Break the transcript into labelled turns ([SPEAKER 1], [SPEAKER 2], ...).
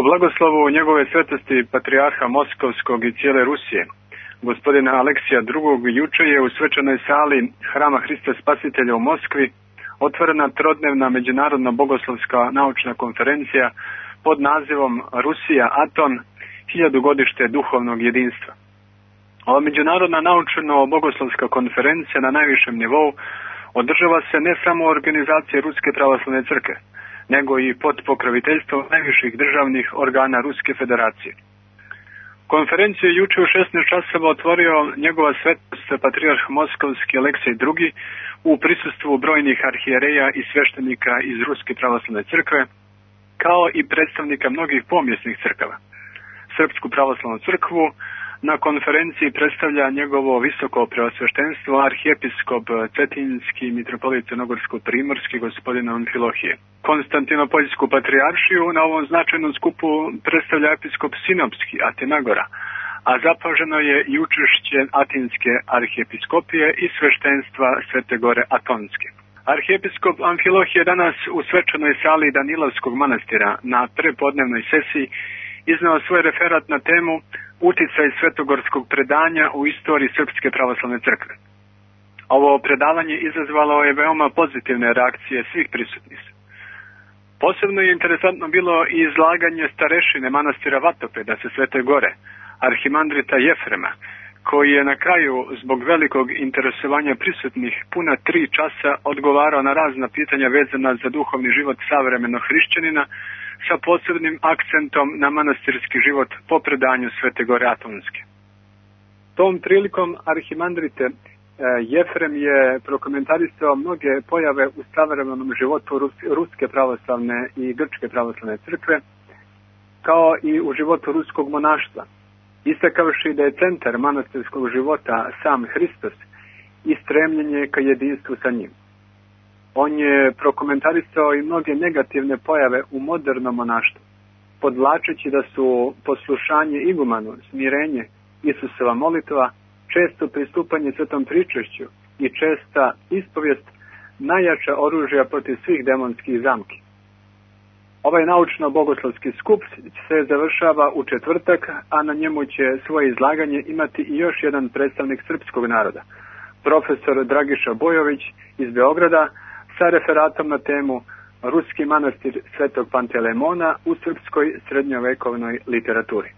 [SPEAKER 1] Po blagoslovu njegove svetosti patrijarha Moskovskog i cijele Rusije, gospodina Aleksija II, juče je u svečanoj sali Hrama Hrista Spasitelja u Moskvi otvorena trodnevna međunarodna bogoslovska naučna konferencija pod nazivom Rusija Aton, 1000 godište duhovnog jedinstva. Ova međunarodna naučno-bogoslovska konferencija na najvišem nivou održava se ne samo u organizaciji Ruske pravoslavne crkve, nego i pod pokroviteljstvom najviših državnih organa Ruske federacije. Konferenciju je juče u 16 časova otvorio njegova svetost patrijarh Moskovski Aleksij II u prisustvu brojnih arhijereja i sveštenika iz Ruske pravoslavne crkve, kao i predstavnika mnogih pomjesnih crkava. Srpsku pravoslavnu crkvu na konferenciji predstavlja njegovo visoko preosveštenstvo arhijepiskop Cetinjski mitropolit Crnogorsko-primorski gospodin Amfilohije. Konstantinopoljsku patrijaršiju na ovom značajnom skupu predstavlja episkop Sinopski Atinagora, a zapaženo je i učešće Atinske arhijepiskopije i sveštenstva Svete Gore Atonske. Arhijepiskop Amfilohije danas u svečanoj sali Danilovskog manastira na prepodnevnoj sesiji izneo svoj referat na temu Uticaj svetogorskog predanja u istoriji Srpske pravoslavne crkve. Ovo predavanje izazvalo je veoma pozitivne reakcije svih prisutnih. Posebno je interesantno bilo i izlaganje starešine manastira Vatopeda sa Svete Gore, arhimandrita Jefrema, koji je na kraju zbog velikog interesovanja prisutnih puna 3 časa odgovarao na razna pitanja vezana za duhovni život savremenog hrišćanina, sa posebnim akcentom na manastirski život po predanju Svete Gore Atonske. Tom prilikom arhimandrite Jefrem je prokomentarisao mnoge pojave u savremenom životu Ruske pravoslavne i Grčke pravoslavne crkve, kao i u životu ruskog monaštva, istakavši da je centar manastirskog života sam Hristos i stremljenje ka jedinstvu sa njim. On je prokomentarisao i mnoge negativne pojave u modernom monaštvu, podvlačeći da su poslušanje igumanu, smirenje, Isusova molitva, često pristupanje svetom pričešću i česta ispovijest najjača oružja protiv svih demonskih zamki. Ovaj naučno-bogoslovski skup se završava u četvrtak, a na njemu će svoje izlaganje imati i još jedan predstavnik srpskog naroda, profesor Dragiša Bojović iz Beograda, sa referatom na temu Ruski manastir Svetog Pantelemona u srpskoj srednjovekovnoj literaturi.